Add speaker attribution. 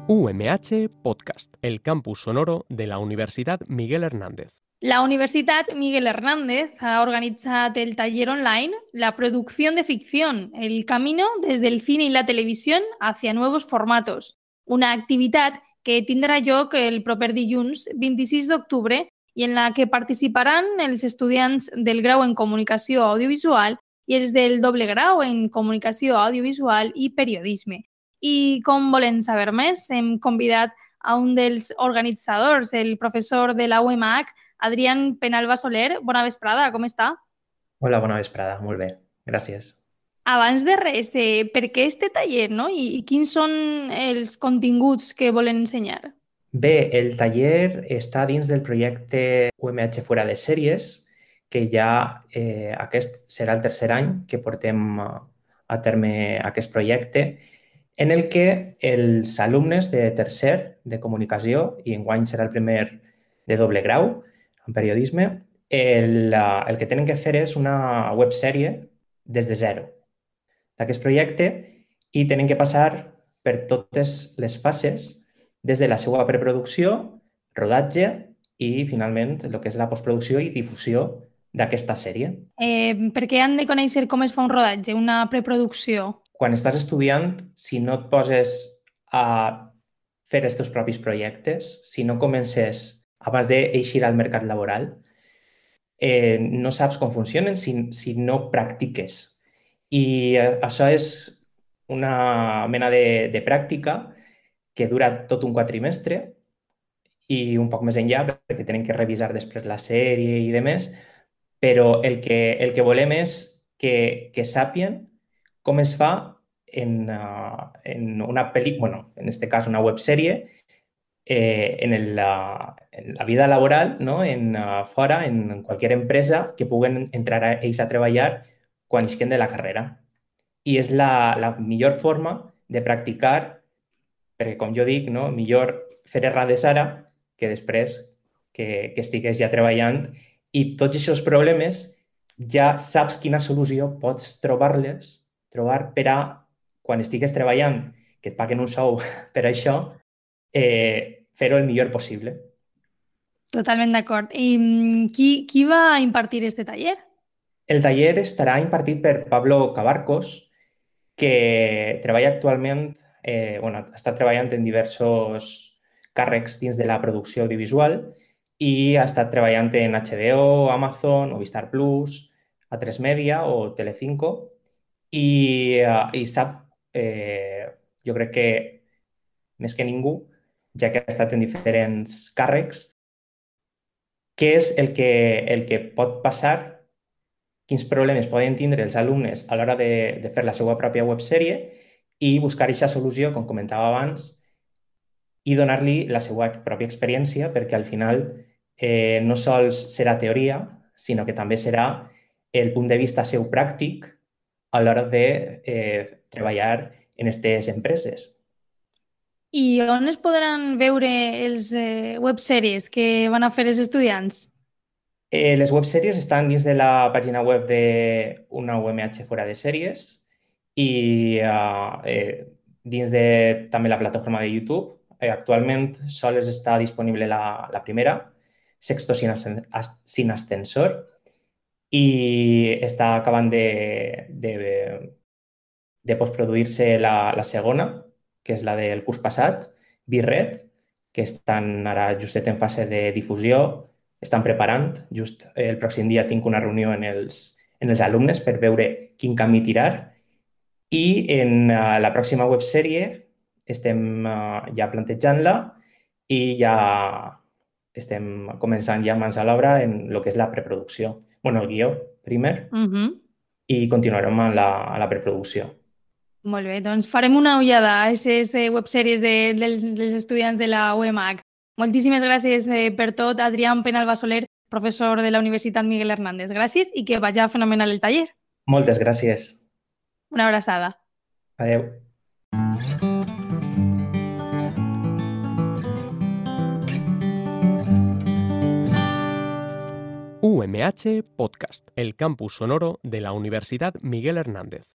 Speaker 1: UMH Podcast, el campus sonoro de la Universidad Miguel Hernández.
Speaker 2: La Universitat Miguel Hernández ha organitzat el taller online La producción de ficción, el camino desde el cine y la televisión hacia nuevos formatos, una activitat que tindrà lloc el proper dilluns 26 d'octubre i en la que participaran els estudiants del grau en Comunicació Audiovisual i els del doble grau en Comunicació Audiovisual i Periodisme. I com volen saber més, hem convidat a un dels organitzadors, el professor de la UMH, Adrián Penalba Soler. Bona vesprada, com està?
Speaker 3: Hola, bona vesprada, molt bé, gràcies.
Speaker 2: Abans de res, per què este taller, no? I quins són els continguts que volen ensenyar?
Speaker 3: Bé, el taller està dins del projecte UMH Fora de Sèries, que ja aquest serà el tercer any que portem a terme aquest projecte, en el que els alumnes de tercer de comunicació, i enguany serà el primer de doble grau en periodisme, el que tenen que fer és una websèrie des de zero d'aquest projecte i tenen que passar per totes les fases des de la seva preproducció, rodatge i, finalment, el que és la postproducció i difusió d'aquesta sèrie.
Speaker 2: Per què han de conèixer com es fa un rodatge, una preproducció?
Speaker 3: Quan estàs estudiant, si no et poses a fer els teus propis projectes, si no comences abans d'eixir al mercat laboral, no saps com funcionen si no practiques. I això és una mena de pràctica que dura tot un quatrimestre i un poc més enllà, perquè tenen que revisar després la sèrie i demés, però el que volem és que sàpien com es fa en una pel·lícula, bueno, en aquest cas una websèrie, en la vida laboral, no? Fora, en qualsevol empresa, que puguen entrar ells a treballar quan isquen de la carrera. I és la millor forma de practicar, perquè, com jo dic, no? Millor fer errades ara que després que estigués ja treballant, i tots aquests problemes ja saps quina solució pots trobar per a quan estigues treballant, que et paguen un sou per això, fer-ho el millor possible.
Speaker 2: Totalment d'acord. I qui va impartir este taller?
Speaker 3: El taller estarà impartit per Pablo Cabarcos, que treballa actualment, està treballant en diversos càrrecs dins de la producció audiovisual i ha estat treballant en HBO, Amazon, Movistar Plus, A3 Media o Telecinco i sap, jo crec que més que ningú, ja que ha estat en diferents càrrecs, què és el que pot passar, quins problemes poden tindre els alumnes a l'hora de fer la seva pròpia websèrie i buscar aquesta solució, com comentava abans, i donar-li la seva pròpia experiència, perquè al final no sols serà teoria, sinó que també serà el punt de vista seu pràctic a l'hora de treballar en aquestes empreses.
Speaker 2: I on es podran veure els websèries que van a fer els estudiants?
Speaker 3: Les websèries estan dins de la pàgina web de una UMH Fora de Sèries i dins de també la plataforma de YouTube. Actualment sols està disponible la primera, Sexto sin ascensor, i està acabant de postproduir-se la segona, que és la del curs passat, Birret, que estan ara justet en fase de difusió, estan preparant. Just el pròxim dia tinc una reunió en els alumnes per veure quin camí tirar. I en la pròxima websèrie estem ja plantejant-la i ja estem començant ja mans a l'obra en el que és la preproducció. El guió primer i continuarem a la preproducció.
Speaker 2: Molt bé, doncs farem una ullada a aquestes websèries dels estudiants de la UMH. Moltíssimes gràcies per tot, Adrián Penalba Soler, professor de la Universitat Miguel Hernández. Gràcies i que vagi fenomenal el taller.
Speaker 3: Moltes gràcies.
Speaker 2: Una abraçada.
Speaker 3: Adéu.
Speaker 1: UMH Podcast, el campus sonoro de la Universidad Miguel Hernández.